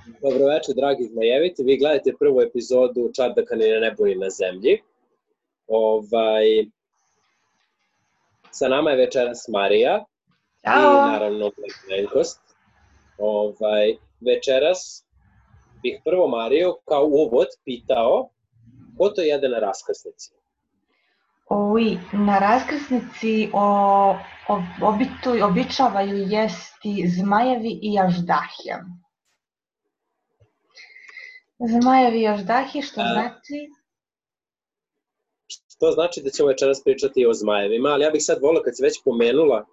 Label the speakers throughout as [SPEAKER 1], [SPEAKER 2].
[SPEAKER 1] Dobroveče, dragi zmajevici. Vi gledate prvu epizodu Čardaka ni na nebu ni na zemlji. Sa nama je večeras Marija i
[SPEAKER 2] Ćao!
[SPEAKER 1] naravno Lenkost. Večeras bih prvo Mariju kao uvod pitao ko to jede na raskrsnici?
[SPEAKER 2] Na raskrsnici običavaju jesti zmajevi i aždahije. Zmajevi i aždahije, što znači?
[SPEAKER 1] To znači da ćemo večeras pričati o zmajevima, ali ja bih sad volila, kad si već pomenula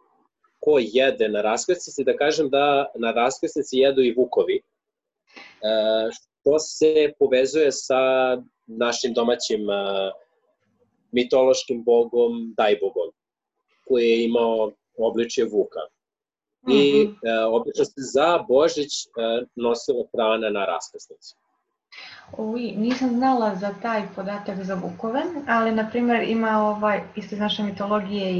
[SPEAKER 1] ko jede na raskrsnici, da kažem da na raskrsnici jedu i vukovi, što se povezuje sa našim domaćim mitološkim bogom Dajbogom, koji je imao obličje vuka. I obično se za Božić nosilo hrana na raskrsnici.
[SPEAKER 2] Nisam znala za taj podatak za vukove, ali na primjer ima isto iz naše mitologije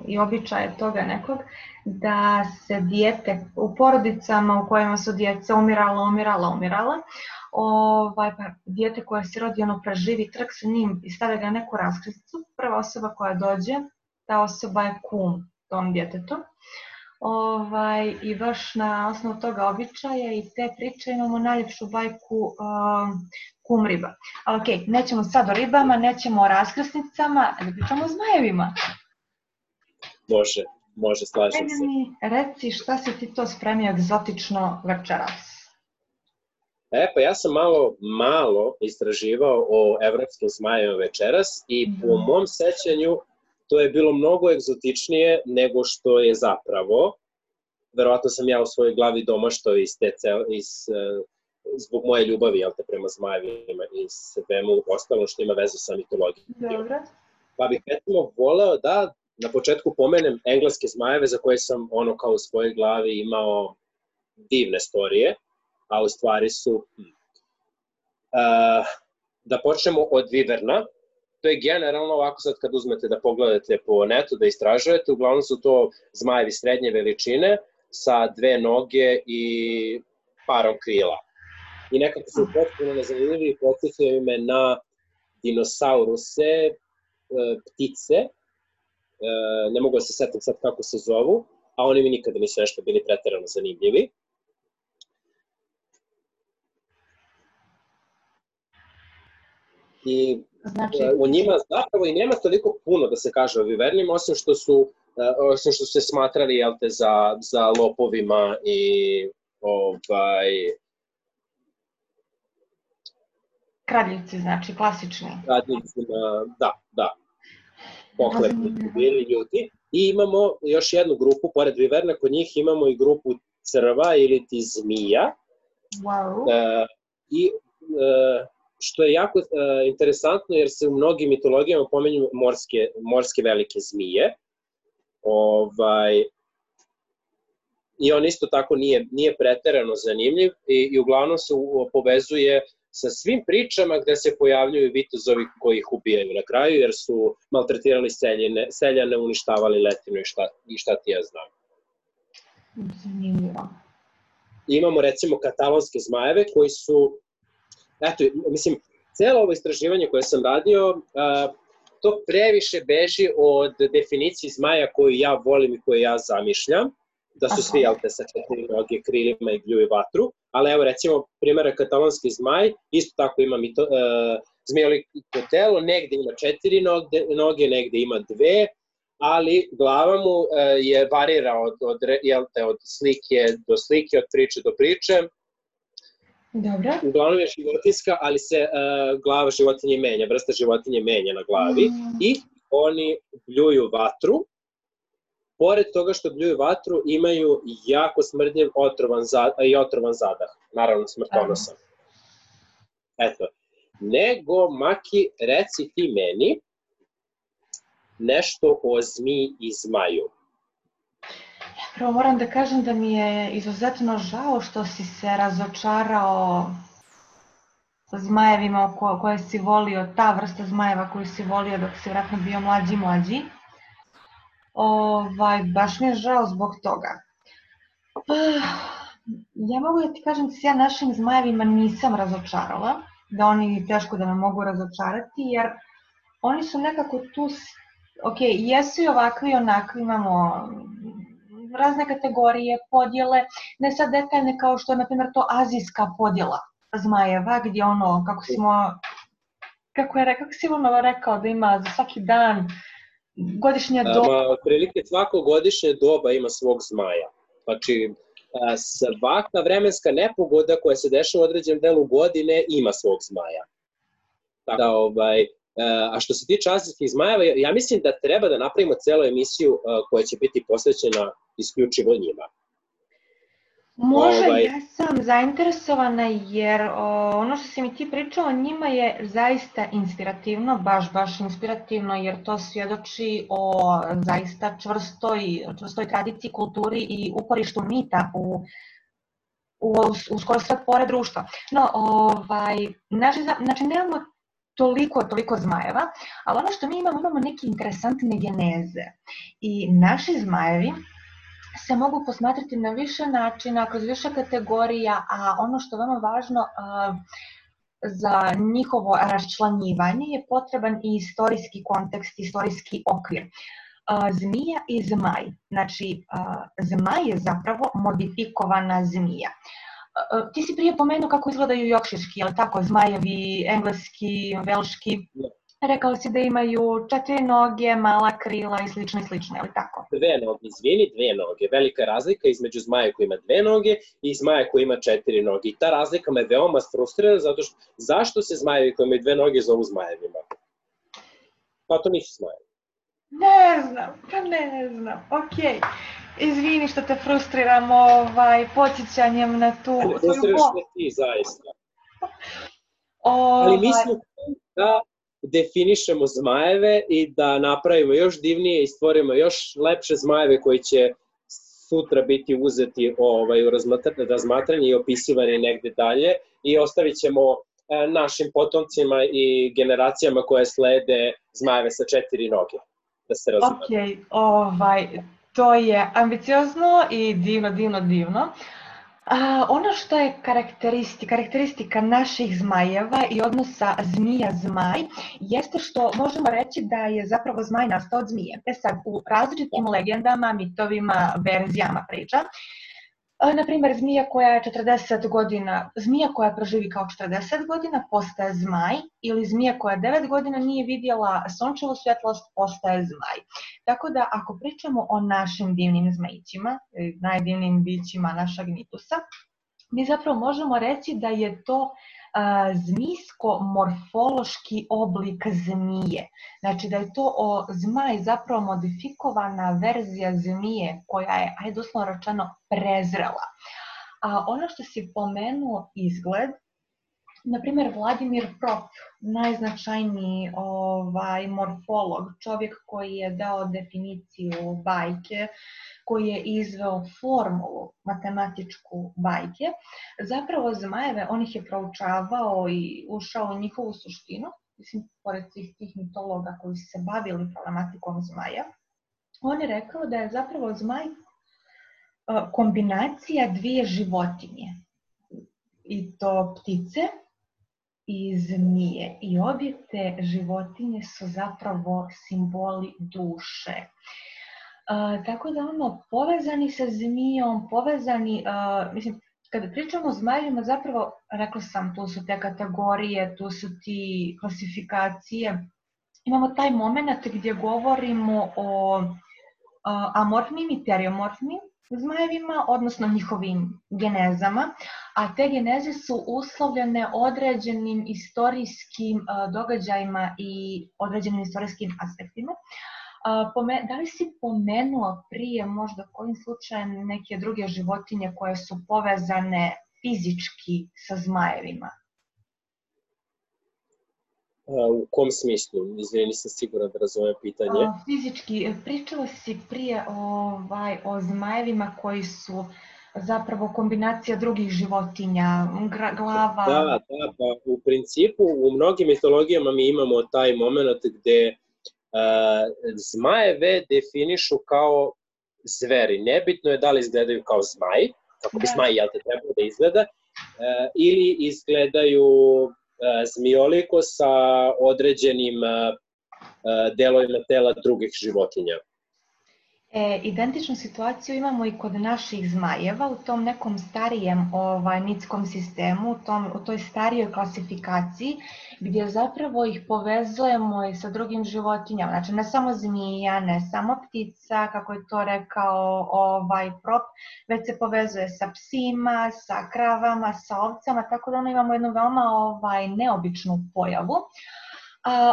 [SPEAKER 2] i običaje toga nekog, da se dijete u porodicama u kojima su djeca umirala, pa dijete koje se rodi, preživi trk sa njim i stave ga na neku raskrsnicu, prva osoba koja dođe, ta osoba je kum tom djetetu. I baš na osnovu toga običaja i te priče imamo najljepšu bajku Kum riba. Ali okej, nećemo sad o ribama, nećemo o raskrsnicama, da pričamo o zmajevima.
[SPEAKER 1] Može, slažem se.
[SPEAKER 2] Reci šta si ti to spremio egzotično večeras?
[SPEAKER 1] Pa ja sam malo istraživao o evropskim zmajevima večeras i po mom sećanju to je bilo mnogo egzotičnije nego što je zapravo. Verovatno sam ja u svojoj glavi domaštao zbog moje ljubavi prema zmajevima i svemu ostalom što ima veze sa mitologijom.
[SPEAKER 2] Dobro.
[SPEAKER 1] Pa bih recimo voleo da na početku pomenem engleske zmajeve za koje sam kao u svojoj glavi imao divne storije, a u stvari su... Da počnemo od Viverna. To je generalno ovako sad kad uzmete da pogledate po netu, da istražujete, uglavnom su to zmajevi srednje veličine sa 2 noge i parom krila. I nekako su potpuno nezanimljivi i podsjećaju me na dinosauruse, ptice, ne mogu da se setim sad kako se zovu, a oni mi nikada nisu nešto bili preterano zanimljivi. I u njima zapravo i nema toliko puno da se kaže o vivernima, osim što su se smatrali za lopovima i
[SPEAKER 2] kradljivci, znači klasični.
[SPEAKER 1] Kradljivcima, da. Pohlepni bili ljudi. I imamo još jednu grupu, pored viverna, kod njih imamo i grupu crva ili ti zmija.
[SPEAKER 2] Wow.
[SPEAKER 1] I što je jako interesantno jer se u mnogim mitologijama pominju morske velike zmije. I on isto tako nije preterano zanimljiv i uglavnom se povezuje sa svim pričama gde se pojavljuju vitezovi koji ih ubijaju na kraju jer su maltretirali seljane, uništavali letinu i šta ti ja znam.
[SPEAKER 2] Zanimljivo.
[SPEAKER 1] Imamo recimo katalonske zmajeve koji su... Mislim, cijelo ovo istraživanje koje sam radio, to previše beži od definicije zmaja koju ja volim i koju ja zamišljam, da su svi sa 4 noge, krilima i bljuju vatru, ali evo recimo primjera katalonski zmaj, isto tako ima zmijoliko telo, negde ima 4 noge, negde ima 2, ali glava mu varira od slike do slike, od priče do priče.
[SPEAKER 2] Dobro.
[SPEAKER 1] Uglavnom je životinjska, ali se glava životinje menja, vrsta životinje menja na glavi i oni bljuju vatru. Pored toga što bljuju vatru, imaju jako smrdljiv otrovan zadah, naravno smrtonosan. Eto, nego Maki, reci ti meni nešto o zmiji i zmaju.
[SPEAKER 2] Prvo moram da kažem da mi je izuzetno žao što si se razočarao zmajevima koje si volio, ta vrsta zmajeva koju si volio dok si vratno bio mlađi. Baš mi je žao zbog toga. Ja mogu da ti kažem da se ja našim zmajevima nisam razočarala, da oni teško da me mogu razočarati, jer oni su nekako tu, ok, jesu i ovakvi i onakvi, imamo razne kategorije, podjele, ne sad detaljne kao što je, na primjer, to azijska podjela zmajeva, gdje ono, kako si ono rekao da ima za svaki dan godišnje doba.
[SPEAKER 1] Otprilike svako godišnje doba ima svog zmaja. Znači, svaka vremenska nepogoda koja se dešava u određenom delu godine ima svog zmaja. Tako da, a što se tiče azijskih zmajeva, ja mislim da treba da napravimo celu emisiju koja će biti posvećena isključivo njima.
[SPEAKER 2] Može, ja sam zainteresovana jer ono što si mi ti pričao o njima je zaista inspirativno, baš inspirativno, jer to svjedoči o zaista čvrstoj tradiciji, kulturi i uporištu mita u skoro sve pore društva. No, znači nemamo toliko zmajeva, ali ono što mi imamo neke interesantne geneze. I naši zmajevi se mogu posmatrati na više načina, kroz više kategorija, a ono što je veoma važno za njihovo raščlanjivanje je potreban i istorijski kontekst, istorijski okvir. Zmija i zmaj. Znači, zmaj je zapravo modifikovana zmija. Ti si prije pomenuo kako izgledaju jokširski, je li tako, zmajevi, engleski, velški. Rekao si da imaju 4 noge, mala krila i slično, je li tako?
[SPEAKER 1] 2 noge, izvini, 2 noge. Velika je razlika između zmaja koji ima 2 noge i zmaja koji ima 4 noge. I ta razlika me veoma frustrira, zato što zašto se zmajevi koji imaju 2 noge zovu zmajevima? Pa to nisu zmajevi.
[SPEAKER 2] Ne znam, okej. Izvini što te frustriram podsjećanjem na tu...
[SPEAKER 1] Frustriraš me ti, zaista. Ali mislim da definišemo zmajeve i da napravimo još divnije i stvorimo još lepše zmajeve koji će sutra biti uzeti u razmatranje i opisivani negde dalje i ostavit ćemo našim potomcima i generacijama koje slede zmajeve sa 4 noge. Da se razumemo.
[SPEAKER 2] Okej, to je ambiciozno i divno. Ono što je karakteristika naših zmajeva i odnosa zmija-zmaj jeste što možemo reći da je zapravo zmaj nastao od zmije. Sad, u različitim legendama, mitovima, verzijama priča, naprimjer, zmija koja proživi kao 40 godina postaje zmaj ili zmija koja 9 godina nije vidjela sunčevu svjetlost postaje zmaj. Tako da ako pričamo o našim divnim zmajićima, najdivnijim bićima našeg mitusa, mi zapravo možemo reći da je to zmijsko-morfološki oblik zmije. Znači da je to zmaj zapravo modifikovana verzija zmije koja je, doslovno rečeno, prezrela. A ono što si pomenuo izgled, na primjer Vladimir Prop, najznačajniji morfolog, čovjek koji je dao definiciju bajke, koji je izveo formulu matematičku bajke, zapravo zmajeve, on ih je proučavao i ušao u njihovu suštinu, mislim, pored tih mitologa koji su se bavili problematikom zmaja, on je rekao da je zapravo zmaj kombinacija 2 životinje, i to ptice i zmije. I obje te životinje su zapravo simboli duše. Tako da povezani sa zmijom, mislim, kada pričamo o zmajevima, zapravo, rekla sam, tu su te kategorije, tu su ti klasifikacije. Imamo taj moment gdje govorimo o amorfnim i teriomorfnim zmajevima, odnosno njihovim genezama, a te geneze su uslovljene određenim istorijskim događajima i određenim istorijskim aspektima. Da li si pomenuo prije možda kojim slučajem neke druge životinje koje su povezane fizički sa zmajevima?
[SPEAKER 1] U kom smislu? Izvini, nisam siguran da razumem pitanje.
[SPEAKER 2] Fizički, pričala si prije o zmajevima koji su zapravo kombinacija drugih životinja, glava...
[SPEAKER 1] Da, pa u principu u mnogim mitologijama mi imamo taj moment gde zmajeve definišu kao zveri. Nebitno je da li izgledaju kao zmaj, kako bi zmaj, jel te, trebalo da izgleda, ili izgledaju zmijoliko sa određenim delovima tela drugih životinja.
[SPEAKER 2] Identičnu situaciju imamo i kod naših zmajeva u tom nekom starijem mitskom sistemu, u toj starijoj klasifikaciji, gdje zapravo ih povezujemo i sa drugim životinjama. Znači, ne samo zmija, ne samo ptica, kako je to rekao Prop, već se povezuje sa psima, sa kravama, sa ovcama, tako da imamo jednu veoma neobičnu pojavu.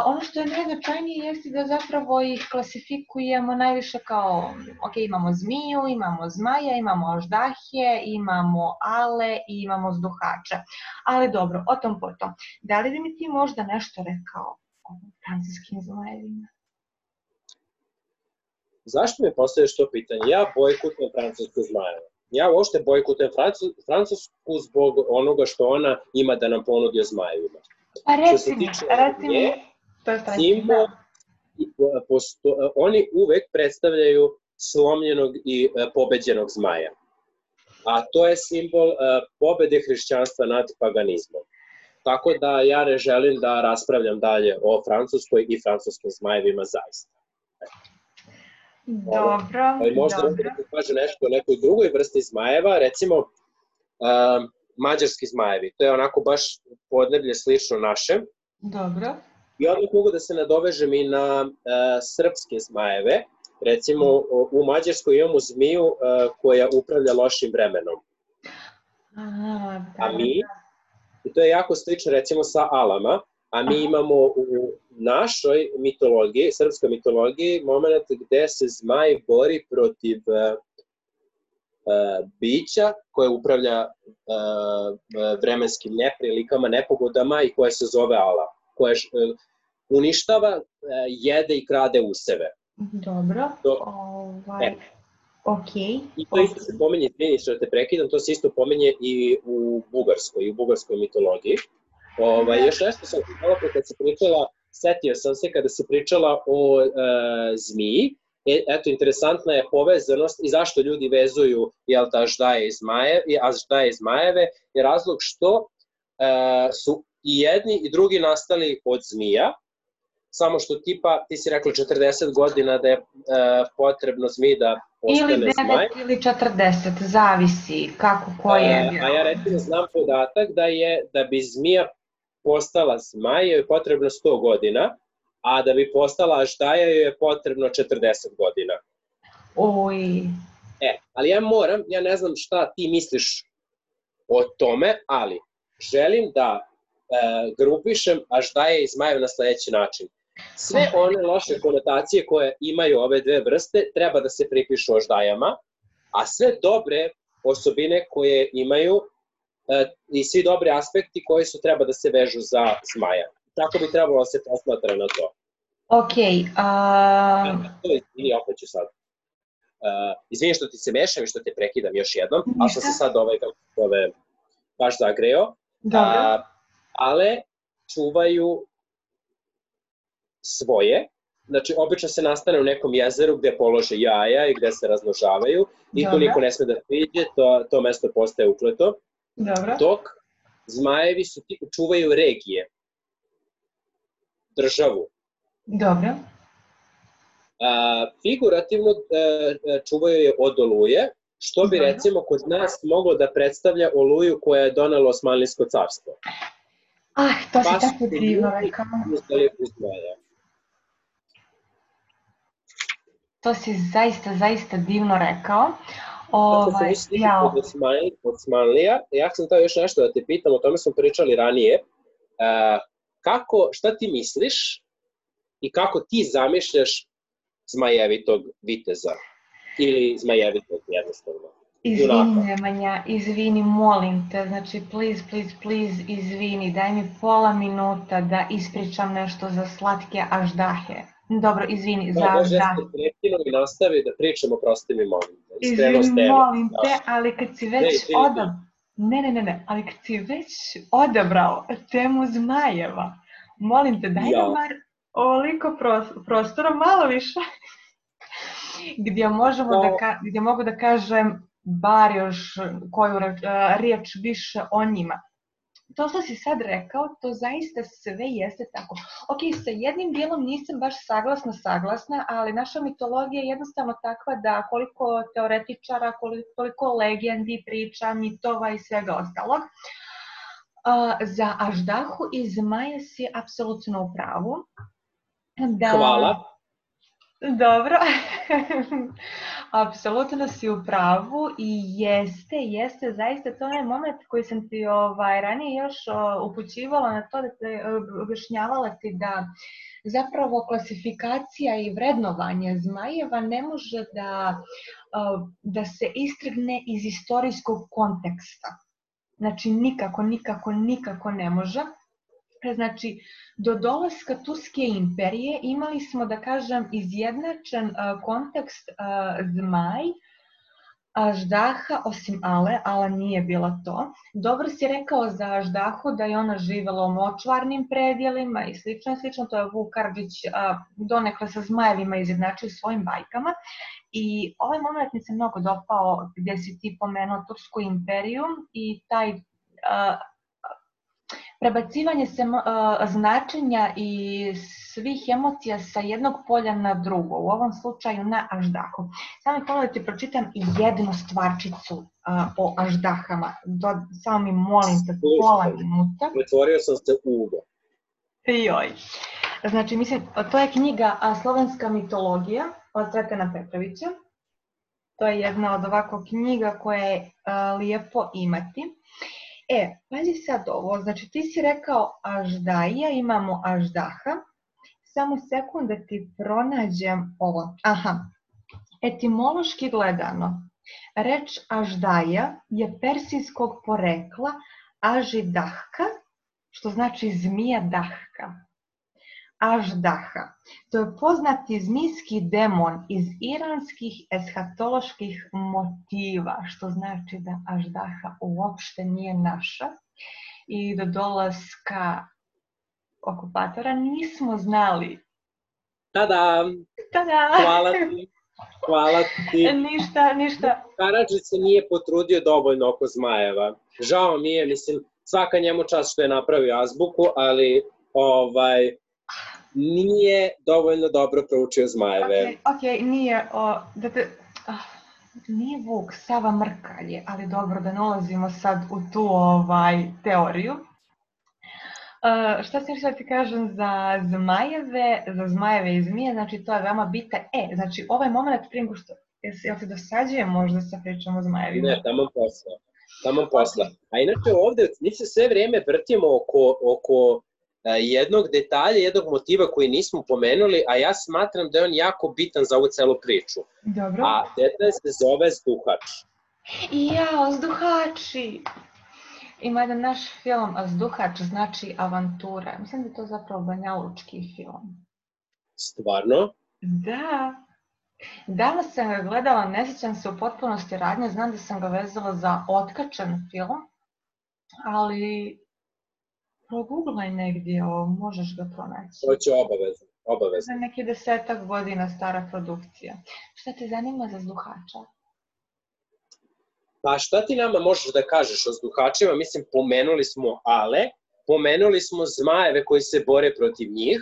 [SPEAKER 2] Ono što je najznačajnije jeste da zapravo ih klasifikujemo najviše kao, imamo zmiju, imamo zmaja, imamo aždahije, imamo ale i imamo zduhače. Ali dobro, o tom potom. Da li bi mi ti možda nešto rekao o francuskim zmajevima?
[SPEAKER 1] Zašto mi postavljaš to pitanje? Ja bojkotujem francusku zmajeva. Ja uopšte bojkotujem Francusku zbog onoga što ona ima da nam ponudi o zmajevima.
[SPEAKER 2] Pa reci mi, to je
[SPEAKER 1] simbol, oni uvek predstavljaju slomljenog i pobeđenog zmaja. A to je simbol pobede hrišćanstva nad paganizmom. Tako da ja ne želim da raspravljam dalje o Francuskoj i francuskim zmajevima zaista.
[SPEAKER 2] Dobro.
[SPEAKER 1] Možda da ti kaže nešto o nekoj drugoj vrsti zmajeva, recimo mađarski zmajevi. To je onako baš podneblje slično našem.
[SPEAKER 2] Dobro.
[SPEAKER 1] I odmah mogu da se nadovežem i na srpske zmajeve. Recimo, u Mađarskoj imamo zmiju koja upravlja lošim vremenom. A mi, i to je jako slično recimo sa alama, a mi imamo u našoj mitologiji, srpskoj mitologiji, moment gde se zmaj bori protiv bića koje upravlja vremenskim neprilikama, nepogodama i koje se zove ala, koje uništava, jede i krade useve.
[SPEAKER 2] Dobro, okej.
[SPEAKER 1] I to isto se pominje, izvini što te prekidam, to se isto pominje i u bugarskoj mitologiji. Još nešto sam malo pre kad se pričala, setio sam se kada se pričala o zmiji. Eto, interesantna je povezanost i zašto ljudi vezuju aždaje i zmajeve, je razlog što su i jedni i drugi nastali od zmija, samo što ti si rekla 40 godina da je potrebno zmiji da postane zmaj.
[SPEAKER 2] Ili 9 ili 40, zavisi kako ko je.
[SPEAKER 1] A ja recimo znam podatak da bi zmija postala zmaj je potrebno 100 godina, a da bi postala aždaja je potrebno 40 godina.
[SPEAKER 2] Oj.
[SPEAKER 1] Ali ja ne znam šta ti misliš o tome, ali želim da grupišem aždaje i zmajeve na sledeći način. Sve one loše konotacije koje imaju ove dve vrste treba da se pripišu aždajama, a sve dobre osobine koje imaju i svi dobri aspekti koji su treba da se vežu za zmaja. Tako bi trebalo da se posmatra na to.
[SPEAKER 2] Okej.
[SPEAKER 1] Izvini, opet ću sad. Izvini što ti se mešam i što te prekidam još jednom, ali sam se sad baš zagreo.
[SPEAKER 2] Dobro.
[SPEAKER 1] Ale čuvaju svoje, znači obično se nastane u nekom jezeru gde polože jaja i gde se razmnožavaju i tu niko ne sme da priđe, to mesto postaje ukleto. Dok zmajevi čuvaju regije, državu.
[SPEAKER 2] Dobro.
[SPEAKER 1] Figurativno čuvaju je od oluje, što bi recimo kod nas moglo da predstavlja oluju koja je donela Osmanlijsko carstvo.
[SPEAKER 2] To si tako divno rekao. To si zaista divno rekao.
[SPEAKER 1] Kako se misli od Osmanlija, ja sam to još nešto da te pitam, o tome smo pričali ranije. Šta ti misliš i kako ti zamišljaš zmajevitog viteza ili zmajevitog jednostavno?
[SPEAKER 2] Izvini Nemanja, izvini, molim te, znači please, izvini, daj mi pola minuta da ispričam nešto za slatke aždahe. Dobro, izvini, za aždahe.
[SPEAKER 1] Može se prekinu i nastavi da pričamo, prosti mi molim te.
[SPEAKER 2] Izvini, molim te, ali kad si već ali kad si već odabrao temu zmajeva, molim te, daj nam bar ovoliko prostora, malo više, gdje mogu da kažem bar još koju riječ više o njima. To što si sad rekao, to zaista sve jeste tako. Ok, sa jednim dijelom nisam baš saglasna, ali naša mitologija je jednostavno takva da koliko teoretičara, koliko legendi, priča, mitova i svega ostalog, za Aždahu i Zmaja si apsolutno u pravu.
[SPEAKER 1] Hvala.
[SPEAKER 2] Dobro, apsolutno si u pravu i jeste, zaista to je onaj moment koji sam ti ranije još upućivala na to, da te objašnjavala ti da zapravo klasifikacija i vrednovanje zmajeva ne može da se istrgne iz istorijskog konteksta. Znači nikako ne može. Znači, do dolaska Turske imperije imali smo, da kažem, izjednačen kontekst zmaj, Aždaha, osim Ala nije bila to. Dobro si rekao za Aždahu da je ona živjela u močvarnim predjelima i slično, to je Vuk Karadžić donekle sa zmajevima izjednačio svojim bajkama. I ovaj moment mi se mnogo dopao gdje si ti pomenuo Tursku imperiju i taj prebacivanje značenja i svih emocija sa jednog polja na drugo, u ovom slučaju na Aždahu. Samo mi hvala da ti pročitam jednu stvarčicu o Aždahama. Samo mi molim te pola minuta.
[SPEAKER 1] Pretvorio sam se u Ugo.
[SPEAKER 2] Joj. Znači, mislim, to je knjiga Slovenska mitologija od Cvetana Petrovića. To je jedna od ovako knjiga koje je lijepo imati. Pazi sad ovo, znači ti si rekao Aždaja, imamo Aždaha, samo sekund da ti pronađem ovo. Etimološki gledano, reč Aždaja je persijskog porekla Ažidahka, što znači zmija dahka. Aždaha, to je poznati zmijski demon iz iranskih eshatoloških motiva, što znači da Aždaha uopšte nije naša. I do dolaska okupatora nismo znali.
[SPEAKER 1] Tada! Hvala ti.
[SPEAKER 2] Ništa.
[SPEAKER 1] Karadžić se nije potrudio dovoljno oko zmajeva. Žao mi je, mislim, svaka njemu čast što je napravio azbuku, ali nije dovoljno dobro proučio zmajeve.
[SPEAKER 2] Ok, nije Vuk, Sava Mrkalje, ali dobro da ne ulazimo sad u tu teoriju. Šta sam htjela ti kažem za zmajeve i zmije, znači to je veoma bitno. Znači ovaj moment prije nego što, jel ti dosađuje možda sa pričom o zmajevima?
[SPEAKER 1] Ne, tamo posla. A inače ovde mi se sve vrijeme vrtimo oko jednog detalja, jednog motiva koji nismo pomenuli, a ja smatram da je on jako bitan za ovu celu priču.
[SPEAKER 2] Dobro.
[SPEAKER 1] A detalj se zove Zduhač.
[SPEAKER 2] Zduhači! Ima jedan naš film, Zduhač znači avantura. Mislim da je to zapravo banjalučki film.
[SPEAKER 1] Stvarno?
[SPEAKER 2] Da. Danas sam ga gledala, ne sjećam se u potpunosti radnje, znam da sam ga vezala za otkačen film, ali proguglaj negdje, možeš ga pronaći.
[SPEAKER 1] To će obavezno.
[SPEAKER 2] Za neki 10 godina stara produkcija. Šta te zanima za Zduhača?
[SPEAKER 1] Pa šta ti nama možeš da kažeš o Zduhačima? Mislim, pomenuli smo Ale, pomenuli smo zmajeve koji se bore protiv njih.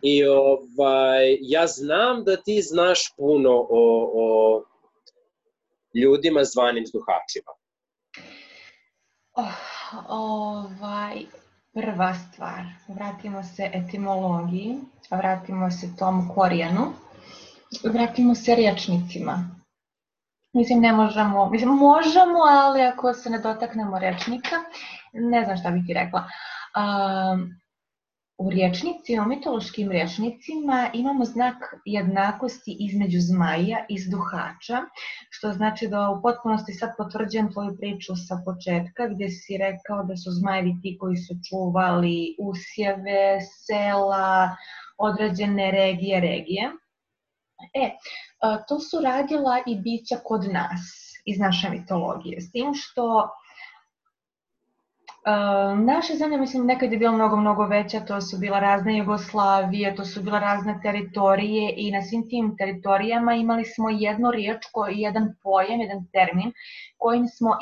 [SPEAKER 1] I ja znam da ti znaš puno o ljudima zvanim Zduhačima.
[SPEAKER 2] Prva stvar, vratimo se etimologiji, vratimo se tom korijenu, vratimo se rječnicima. Mislim, možemo, ali ako se ne dotaknemo rječnika, ne znam šta bih ti rekla. U rječnicima, u mitološkim rječnicima imamo znak jednakosti između zmaja i Zduhača, što znači da u potpunosti sad potvrđujem tvoju priču sa početka, gdje si rekao da su zmajevi ti koji su čuvali usjeve, sela, određene regije. To su radila i bića kod nas, iz naše mitologije, s tim što Naša zemlja, mislim, nekad je bila mnogo veća, to su bila razne Jugoslavije, to su bila razne teritorije i na svim tim teritorijama imali smo jednu riječ, jedan pojam, jedan termin, kojim smo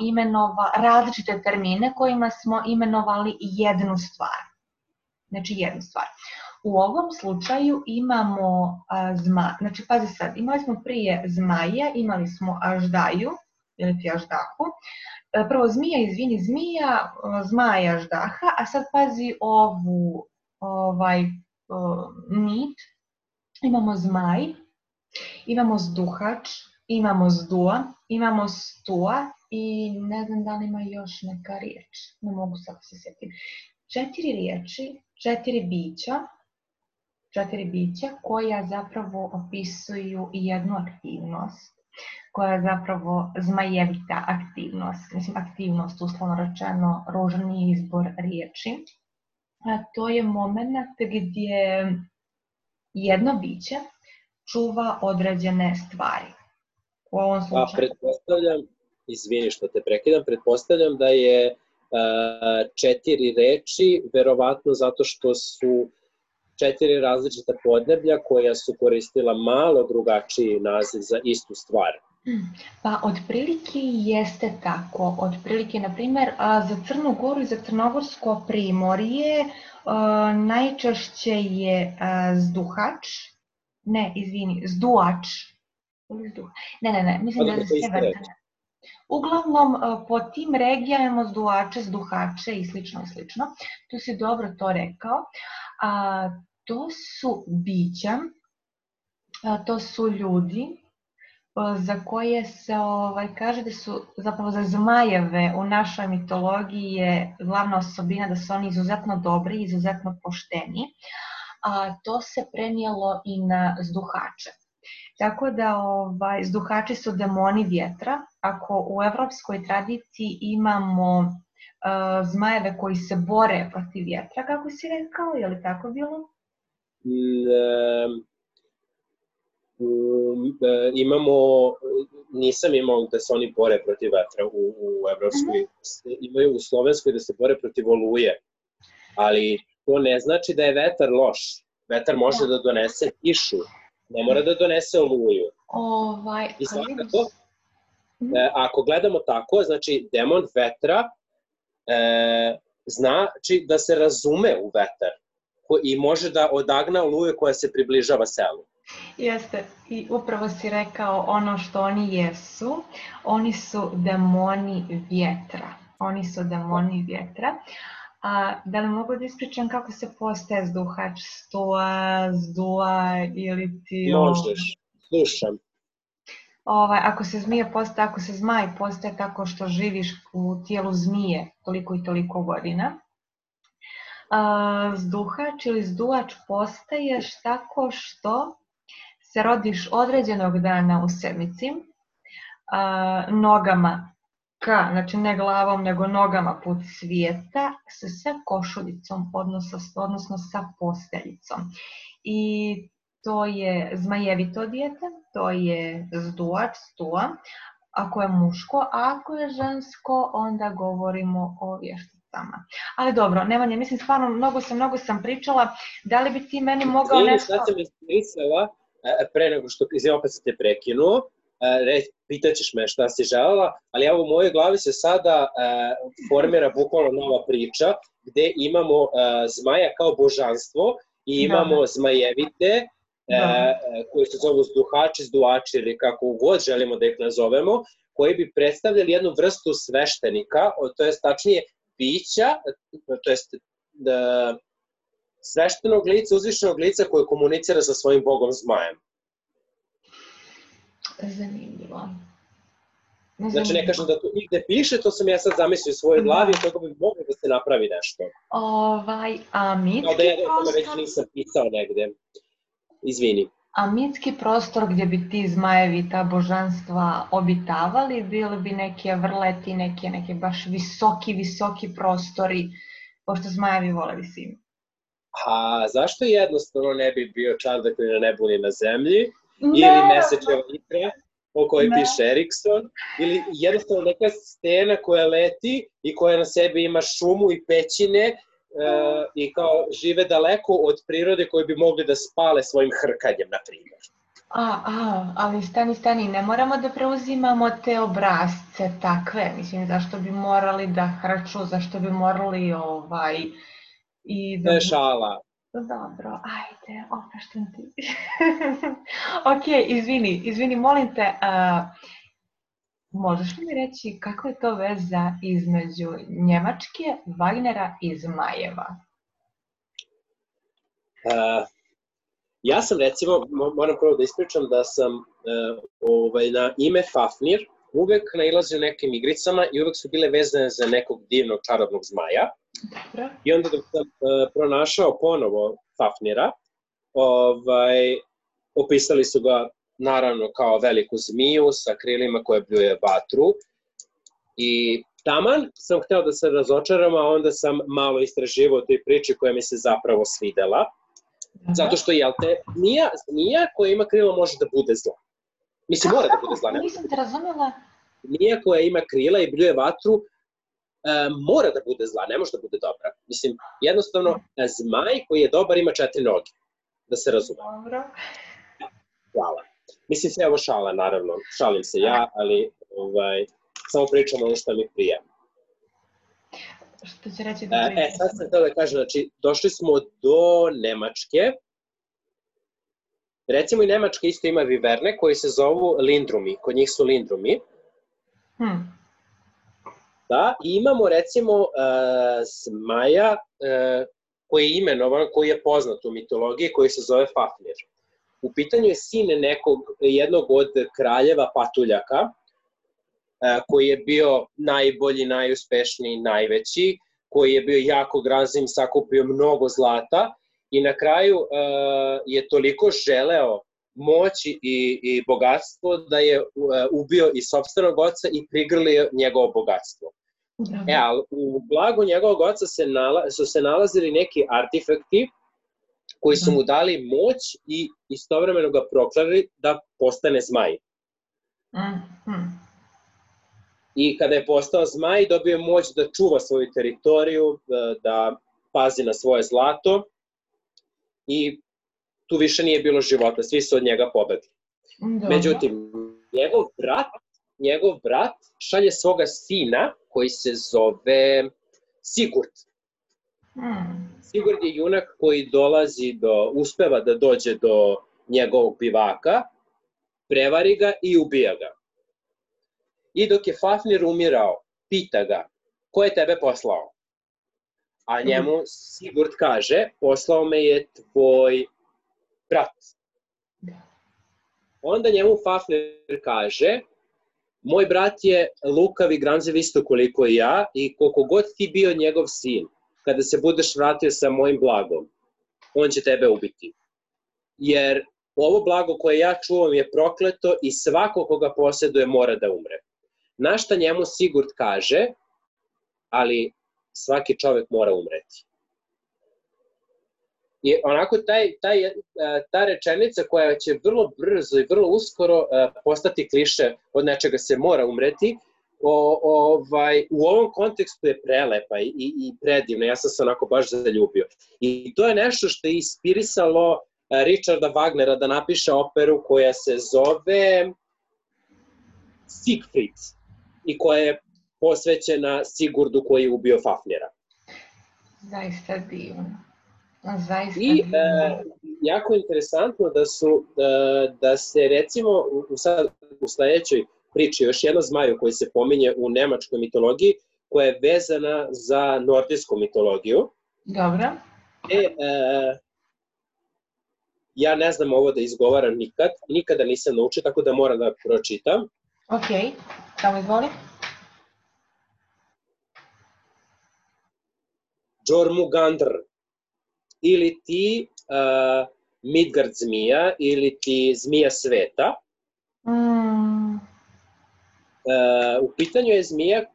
[SPEAKER 2] različite termine kojima smo imenovali jednu stvar. Znači jednu stvar. U ovom slučaju imamo znači pazi sad, imali smo prije zmaja, imali smo aždaju, ili ti aždahu, prvo zmija, zmaja, aždaha, a sad pazi nit, imamo zmaj, imamo zduhač, imamo zdua, imamo stua i ne znam da li ima još neka riječ, ne mogu sad se sjetim. 4 riječi, 4 bića koja zapravo opisuju jednu aktivnost, koja je zapravo zmajevita aktivnost, mislim aktivnost, uslovno rečeno, ružni izbor riječi. A to je moment gdje jedno biće čuva određene stvari. U ovom slučaju...
[SPEAKER 1] Pretpostavljam, izvini što te prekidam, pretpostavljam da je 4 reči, verovatno zato što su 4 različita podneblja koja su koristila malo drugačiji naziv za istu stvar.
[SPEAKER 2] Pa otprilike jeste tako. Otprilike, na primjer, za Crnu Goru i za Crnogorsko primorje najčešće je zduhač, zduač. Ne, mislim da je severna. Uglavnom, po tim regijama imamo zduače, zduhače i slično. Tu si dobro to rekao. To su bića, to su ljudi za koje se kaže da su, zapravo za zmajeve u našoj mitologiji je glavna osobina da su oni izuzetno dobri, izuzetno pošteni. To se prenijelo i na zduhače. Tako da zduhači su demoni vjetra. Ako u evropskoj tradiciji imamo zmajeve koji se bore protiv vjetra, kako si rekao, je li tako bilo?
[SPEAKER 1] Nisam imao da se oni bore protiv vetra u evropskoj, imaju u slovenskoj da se bore protiv oluje, ali to ne znači da je vetar loš. Vetar može da donese kišu, ne mora da donese oluju. I svakako, ako gledamo tako, znači demon vetra znači da se razume u vetar i može da odagna oluje koja se približava selu.
[SPEAKER 2] Jeste, i upravo si rekao ono što oni jesu. Oni su demoni vjetra. Da li mogu da ispričam kako se postaje zduhač, stua, zdua ili ti...
[SPEAKER 1] Možeš, slušam.
[SPEAKER 2] Ako se zmaj postaje tako što živiš u tijelu zmije toliko i toliko godina. Zduhač ili zduač postaješ tako što se rodiš određenog dana u sedmici, nogama znači ne glavom nego nogama put svijeta, sa košuljicom, odnosno sa posteljicom. I to je zmajevito dijete, to je zduač, stua, ako je muško, a ako je žensko, onda govorimo o vješticama. Ali dobro, Nemanja, mislim stvarno, mnogo sam pričala, da li bi ti meni mogao nešto...
[SPEAKER 1] Sad sam ispričala, pre nego što opet se te prekinuo, pitaćeš me šta si želela, ali evo u mojoj glavi se sada formira bukvalno nova priča, gde imamo zmaja kao božanstvo i imamo zmajevite, koji se zovu zduhači, zduači ili kako god želimo da ih nazovemo, koji bi predstavljali jednu vrstu sveštenika, to je tačnije bića, to je sveštenog lica, uzvišenog lica koje komunicira sa svojim bogom zmajem.
[SPEAKER 2] Zanimljivo.
[SPEAKER 1] Znači ne kažem da to nigde piše, to sam ja sad zamislio u svojoj glavi, toga bi moglo da se napravi nešto.
[SPEAKER 2] A mitski
[SPEAKER 1] prostor... Da ja o tome već nisam pisao negde. Izvini.
[SPEAKER 2] A mitski prostor gdje bi ti zmajevi, ta božanstva obitavali, bili bi neke vrleti, neke baš visoki prostori, pošto zmajevi vole visinu.
[SPEAKER 1] A zašto jednostavno ne bi bio čardak ni na nebu ni na zemlji, ili mesečeva ikra, o kojoj piše Erikson, ili jednostavno neka stena koja leti i koja na sebi ima šumu i pećine i kao žive daleko od prirode koji bi mogli da spale svojim hrkanjem, na primjer.
[SPEAKER 2] Ali stani, ne moramo da preuzimamo te obrazce takve, mislim, zašto bi morali da hrču, zašto bi morali i da...
[SPEAKER 1] To je šala.
[SPEAKER 2] Dobro, ajde, opraštam ti. Ok, izvini, molim te, možeš li mi reći kako je to veza između Njemačke, Wagnera i Zmajeva?
[SPEAKER 1] Ja sam recimo, moram prvo da ispričam da sam na ime Fafnir uvek nailazio nekim igricama i uvek su bile vezane za nekog divnog čarobnog zmaja.
[SPEAKER 2] Dobro.
[SPEAKER 1] I onda dok sam pronašao ponovo Fafnira, opisali su ga naravno kao veliku zmiju sa krilima koje bljuje vatru. I taman sam hteo da se razočaram, a onda sam malo istraživao toj priči koja mi se zapravo svidela. Zato što, jel te, zmija koja ima krila može da bude zla. Mislim, mora da bude zla.
[SPEAKER 2] Nisam te razumela.
[SPEAKER 1] Zmija koja ima krila i bljuje vatru mora da bude zla, ne može da bude dobra. Mislim, jednostavno, zmaj koji je dobar ima 4 noge. Da se razume.
[SPEAKER 2] Dobro.
[SPEAKER 1] Hvala. Mislim, sve ovo šala, naravno. Šalim se ja, ali samo pričam ono što mi prija.
[SPEAKER 2] Što će reći da pričam?
[SPEAKER 1] Sad sam htio da kažem, znači, došli smo do Nemačke. Recimo i Nemačka isto ima viverne koji se zovu lindrumi. Kod njih su lindrumi. Da, i imamo recimo zmaja koji je imenovan, koji je poznat u mitologiji, koji se zove Fafnir. U pitanju je sin jednog od kraljeva patuljaka, koji je bio najbolji, najuspešniji, najveći, koji je bio jako grazim, sakupio mnogo zlata i na kraju je toliko želeo moći i bogatstvo da je ubio i sopstvenog oca i prigrlio njegovo bogatstvo. Ali u blagu njegovog oca su se nalazili neki artefakti koji su mu dali moć i istovremeno ga proklali da postane zmaj. I kada je postao zmaj, dobio je moć da čuva svoju teritoriju, da pazi na svoje zlato i tu više nije bilo života, svi su od njega pobegli. Međutim, njegov brat šalje svoga sina koji se zove Sigurd. Sigurd je junak koji uspeva da dođe do njegovog bivaka, prevari ga i ubija ga. I dok je Fafnir umirao, pita ga, ko je tebe poslao? A njemu Sigurd kaže, poslao me je tvoj brat. Onda njemu Fafnir kaže, moj brat je lukav i gramziv isto koliko i ja i koliko god ti bio njegov sin, kada se budeš vratio sa mojim blagom, on će tebe ubiti. Jer ovo blago koje ja čuvam je prokleto i svako koga posjeduje mora da umre. Na šta njemu Sigurd kaže, ali svaki čovek mora umreti. I onako ta rečenica koja će vrlo brzo i vrlo uskoro postati kliše od nečega se mora umreti, u ovom kontekstu je prelepa i predivna, ja sam se onako baš zaljubio. I to je nešto što je inspirisalo Richarda Wagnera da napiše operu koja se zove Siegfried i koja je posvećena Sigurdu koji je ubio Fafnira.
[SPEAKER 2] Zaista divno.
[SPEAKER 1] I jako interesantno da se recimo u sledećoj priči još jedno zmaju koji se pominje u nemačkoj mitologiji koja je vezana za nordijsku mitologiju.
[SPEAKER 2] Dobro.
[SPEAKER 1] Ja ne znam ovo da izgovaram nikada nisam naučio, tako da moram da pročitam.
[SPEAKER 2] Ok, samo izvoli.
[SPEAKER 1] Jormungandr, ili ti Midgard zmija, ili ti zmija sveta. U pitanju je zmija,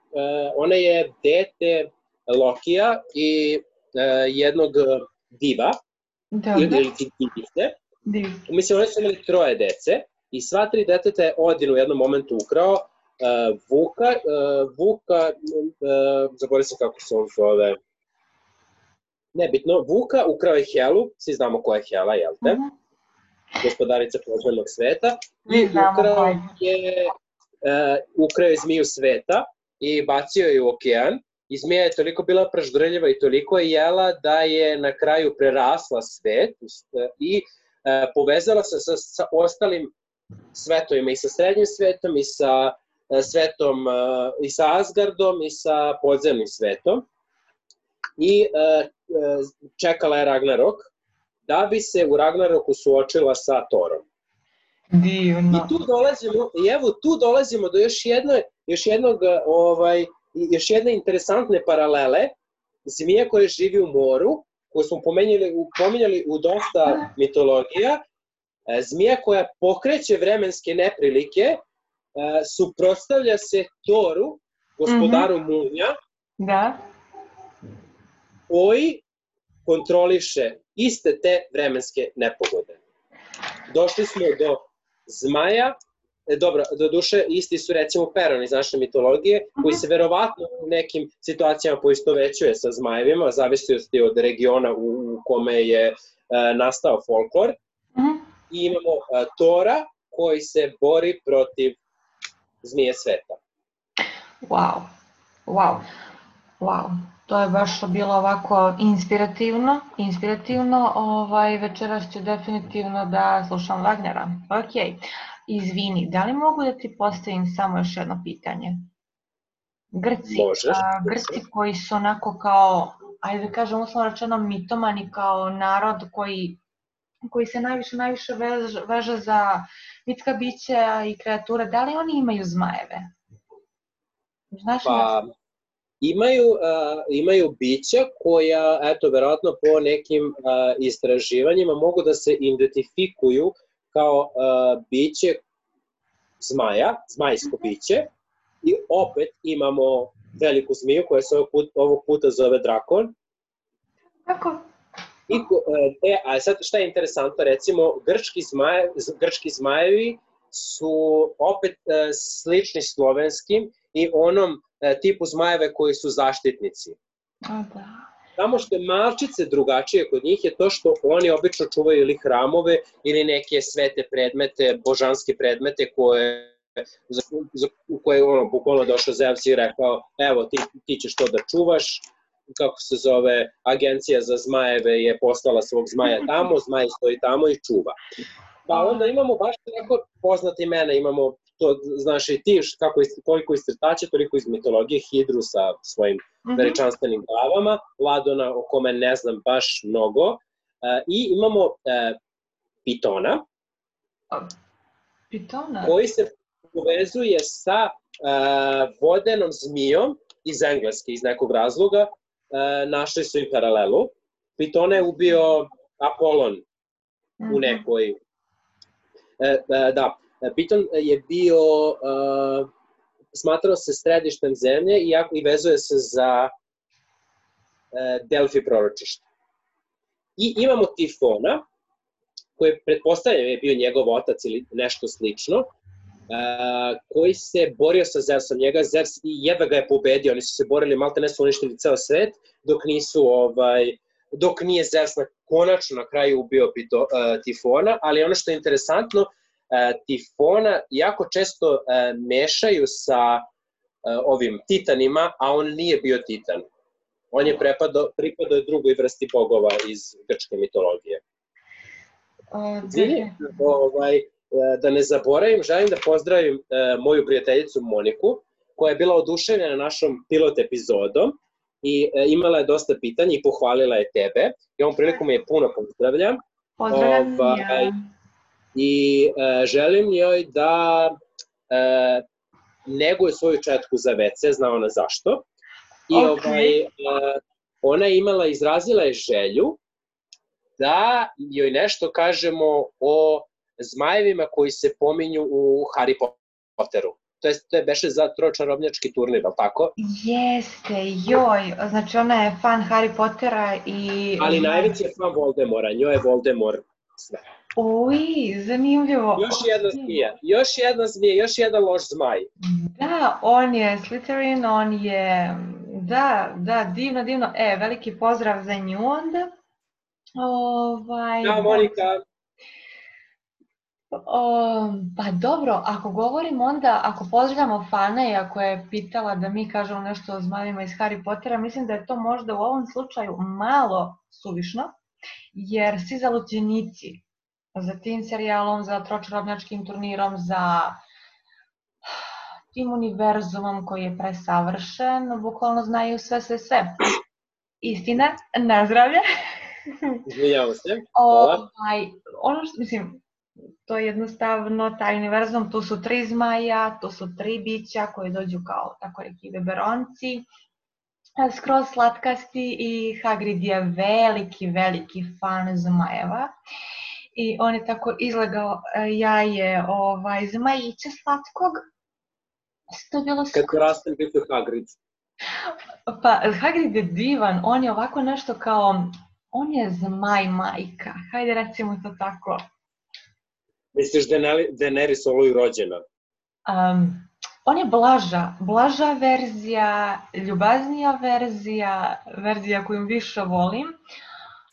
[SPEAKER 1] ona je dete Lokija i jednog diva, ili ti divice. Mislim, one su imali 3 dece i sva 3 deteta je Odin u jednom momentu ukrao. Vuka, zaboravim se kako se on zove, nebitno, Vuka ukrao je Helu, svi znamo ko je Hela, jel te? Gospodarica podzemnog sveta, i ukrao je zmiju sveta i bacio je u okean, i zmija je toliko bila praždrljiva i toliko je jela da je na kraju prerasla svet i povezala se sa ostalim svetovima, i sa srednjim svetom, i sa svetom, i sa Asgardom, i sa podzemnim svetom, i čekala je Ragnarok, da bi se u Ragnaroku suočila sa Thorom.
[SPEAKER 2] Divno.
[SPEAKER 1] I tu dolazimo do još jedne interesantne paralele. Zmija koja živi u moru, koju smo pominjali u dosta mitologija, zmija koja pokreće vremenske neprilike, suprotstavlja se Thoru, gospodaru munja, koji kontroliše iste te vremenske nepogode. Došli smo do zmaja, dobro, do duše isti su recimo Peron iz naše mitologije, koji se verovatno u nekim situacijama poistovećuje sa zmajevima, zavisnosti od regiona u kome je nastao folklor. I imamo Thora koji se bori protiv zmije sveta.
[SPEAKER 2] Wow. To je baš bilo ovako inspirativno. Večeras ću definitivno da slušam Wagnera. Ok, izvini, da li mogu da ti postavim samo još jedno pitanje? Grci koji su onako kao, ajde da kažem uslovno rečeno mitomani, kao narod koji se najviše veže za mitska bića i kreature, da li oni imaju zmajeve? Znaš li?
[SPEAKER 1] Imaju bića koja, eto, verovatno po nekim istraživanjima mogu da se identifikuju kao biće zmaja, zmajsko biće, i opet imamo veliku zmiju koja se ovog puta zove drakon.
[SPEAKER 2] Kako?
[SPEAKER 1] A sad šta je interesantno, recimo grčki zmajevi su opet slični slovenskim i onom tipu zmajeve koji su zaštitnici. Samo što je malčice drugačije kod njih je to što oni obično čuvaju ili hramove ili neke svete predmete, božanske predmete u koje je bukvalno došao Zeus i rekao, evo ti ćeš to da čuvaš, kako se zove, agencija za zmajeve je poslala svog zmaja tamo, zmaj stoji tamo i čuva. Pa onda imamo baš tako poznate imena, imamo to, znaš i ti, koliko iz crtača, toliko iz mitologije, Hidru sa svojim veličanstvenim glavama, Ladona o kome ne znam baš mnogo, i imamo Pitona, koji se povezuje sa vodenom zmijom iz Engleske, iz nekog razloga, našli su i paralelu. Pitona je ubio Apolon u nekoj... Piton je bio, smatrao se središtem zemlje i vezuje se za Delfi proročište. I imamo Tifona, koji pretpostavljam je bio njegov otac ili nešto slično, koji se borio sa Zeusom. Njega Zeus i jedva ga je pobedio, oni su se borili, malte ne su uništili ceo svet, dok nije Zeus konačno na kraju ubio Tifona, ali ono što je interesantno, Tifona jako često mešaju sa ovim titanima, a on nije bio titan. On je pripadao drugoj vrsti bogova iz grčke mitologije. Da ne zaboravim, želim da pozdravim moju prijateljicu Moniku, koja je bila oduševljena našom pilot epizodom i imala je dosta pitanja i pohvalila je tebe. I ovom prilikom je puno pozdravljam. I želim joj da neguje svoju četku za WC, zna ona zašto. I ona je izrazila je želju da joj nešto kažemo o zmajevima koji se pominju u Harry Potteru. To je beše za tročarobnjački turnir, ali tako?
[SPEAKER 2] Jeste, joj, znači ona je fan Harry Pottera i...
[SPEAKER 1] Ali najveći je fan Voldemora, njoj je Voldemort sve.
[SPEAKER 2] Uj, zanimljivo.
[SPEAKER 1] Još jedna zmija, još jedan loš zmaj.
[SPEAKER 2] Da, on je Slytherin, on je, da, divno. Veliki pozdrav za nju onda.
[SPEAKER 1] Da, Monika.
[SPEAKER 2] Pa dobro, ako govorimo onda, ako pozdravljamo Fana i ako je pitala da mi kažemo nešto o zmajevima iz Harry Pottera, mislim da je to možda u ovom slučaju malo suvišno, jer svi zaluđenici za tim serijalom, za tročarobnjačkim turnirom, za tim univerzumom koji je presavršen, bukvalno znaju sve. Istina, na zdravlje.
[SPEAKER 1] Izvinjavam se.
[SPEAKER 2] Ono što, mislim, to je jednostavno taj univerzum, tu su 3 zmaja, tu su 3 bića koji dođu kao, tako reki, beberonci, skroz slatkasti i Hagrid je veliki fan zmajeva. I on je tako izlegao jaje zmajića slatkog.
[SPEAKER 1] Kad porastem biti Hagrid.
[SPEAKER 2] Pa Hagrid je divan, on je ovako nešto kao, on je zmaj majka, hajde recimo to tako.
[SPEAKER 1] Misliš Daenerys Oluj rođena?
[SPEAKER 2] On je blaža verzija, ljubaznija verzija koju više volim.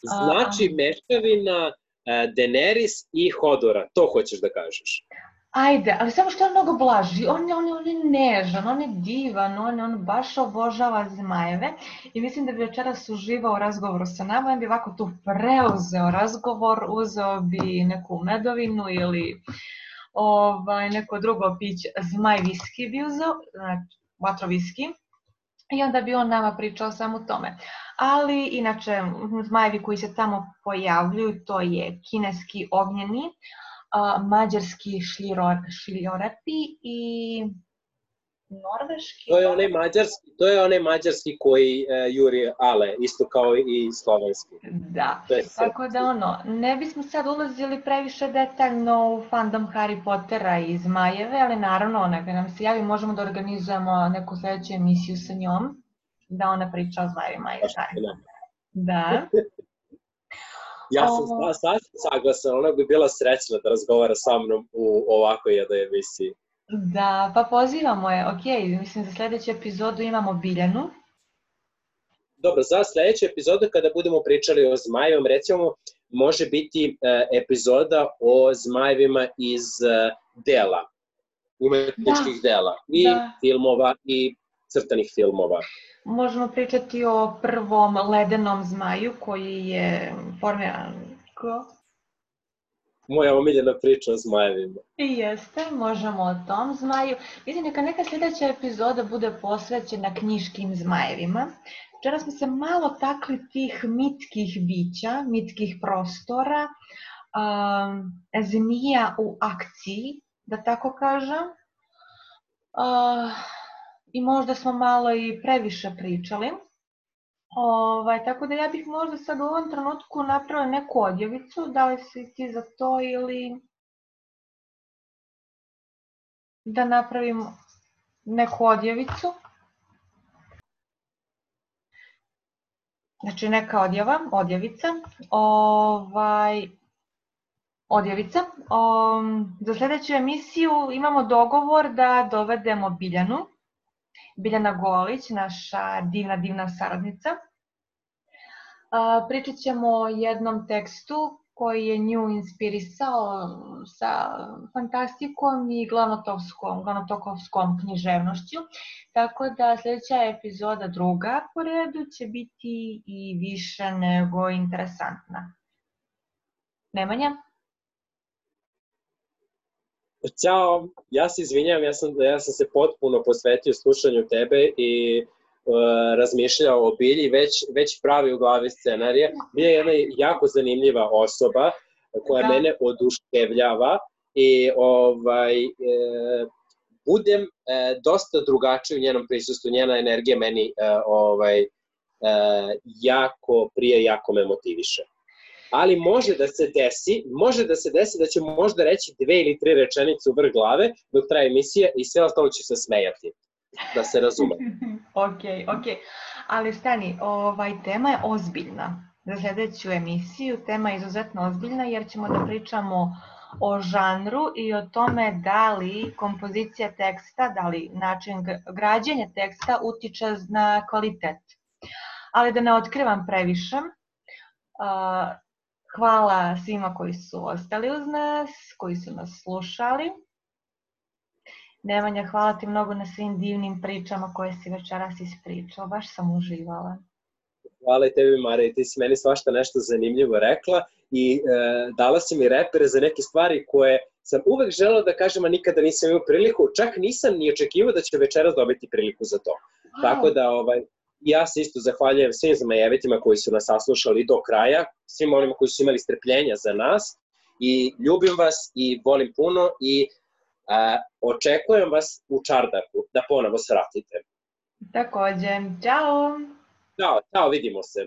[SPEAKER 1] Znači mešavina Daenerys i Hodora, to hoćeš da kažeš?
[SPEAKER 2] Ajde, ali samo što je mnogo blaži, on je nežan, on je divan, on baš obožava zmajeve i mislim da bi večeras uživao u razgovoru sa nama, on bi ovako tu preuzeo razgovor, uzeo bi neku medovinu ili neko drugo piće, zmaj viski bi uzeo, vatroviski, i onda bi on nama pričao samo o tome. Ali inače, zmajevi koji se tamo pojavljuju, to je kineski ognjeni, mađarski šiljorepi i norveški.
[SPEAKER 1] To je onaj mađarski koji juri ale, isto kao i slovenski.
[SPEAKER 2] Da, tako da ne bismo sad ulazili previše detaljno u fandom Harry Pottera i zmajeve, ali naravno, neka nam se javi, možemo da organizujemo neku sledeću emisiju sa njom, da ona priča o zmajevima i Harry Pottera. Da.
[SPEAKER 1] Ja sam sasvim saglasan, ona bi bila srećna da razgovara sa mnom u ovakvoj jednoj emisiji.
[SPEAKER 2] Da, pa pozivamo je, mislim za sledeću epizodu imamo Biljanu.
[SPEAKER 1] Dobro, za sledeću epizodu kada budemo pričali o zmajevima, recimo, može biti epizoda o zmajevima iz dela, umetničkih dela, i filmova i crtanih filmova.
[SPEAKER 2] Možemo pričati o prvom ledenom zmaju koji je formiran
[SPEAKER 1] Moja omiljena priča o zmajevima.
[SPEAKER 2] I jeste, možemo o tom zmaju. Mislim, neka sljedeća epizoda bude posvećena knjiškim zmajevima. Včera smo se malo takli tih mitskih bića, mitskih prostora, zmija u akciji, da tako kažem. I možda smo malo i previše pričali. Tako da ja bih možda sad u ovom trenutku napravila neku odjevicu, da li si ti za to ili da napravim neku odjevicu. Znači neka odjevica. Odjevica. Za sljedeću emisiju imamo dogovor da dovedemo Biljanu. Biljana Golić, naša divna saradnica. Pričat ćemo o jednom tekstu koji je nju inspirisao sa fantastikom i glavnotokovskom književnošću. Tako da sljedeća epizoda, druga po redu, će biti i više nego interesantna. Nemanja?
[SPEAKER 1] Ćao, ja se izvinjam, ja sam se potpuno posvetio slušanju tebe i razmišljao o Bilji, već pravi u glavi scenarija. Bilja je jedna jako zanimljiva osoba koja mene oduševljava i budem dosta drugačiji u njenom prisustvu, njena energija meni jako prije, jako me motiviše. Ali može da se desi da ću možda reći 2 ili 3 rečenice u vrh glave dok traje emisija i sve ostalo ću se smejati, da se razume.
[SPEAKER 2] Ok. Ali stani, tema je ozbiljna. za sljedeću emisiju. Tema je izuzetno ozbiljna jer ćemo da pričamo o žanru i o tome da li kompozicija teksta, da li način građenja teksta utiče na kvalitet. Ali da ne otkrivam previše, hvala svima koji su ostali uz nas, koji su nas slušali. Nemanja, hvala ti mnogo na svim divnim pričama koje si večeras ispričao, baš sam uživala.
[SPEAKER 1] Hvala i tebi, Marija, ti si meni svašta nešto zanimljivo rekla i dala si mi repere za neke stvari koje sam uvek želeo da kažem, a nikada nisam imao priliku, čak nisam ni očekivao da će večeras dobiti priliku za to. Wow. Tako da ja se isto zahvaljujem svim zmajevitima koji su nas saslušali do kraja, svim onima koji su imali strpljenja za nas i ljubim vas i volim puno i očekujem vas u Čardaku da ponovo svratite.
[SPEAKER 2] Takođe, čao!
[SPEAKER 1] Ćao, vidimo se.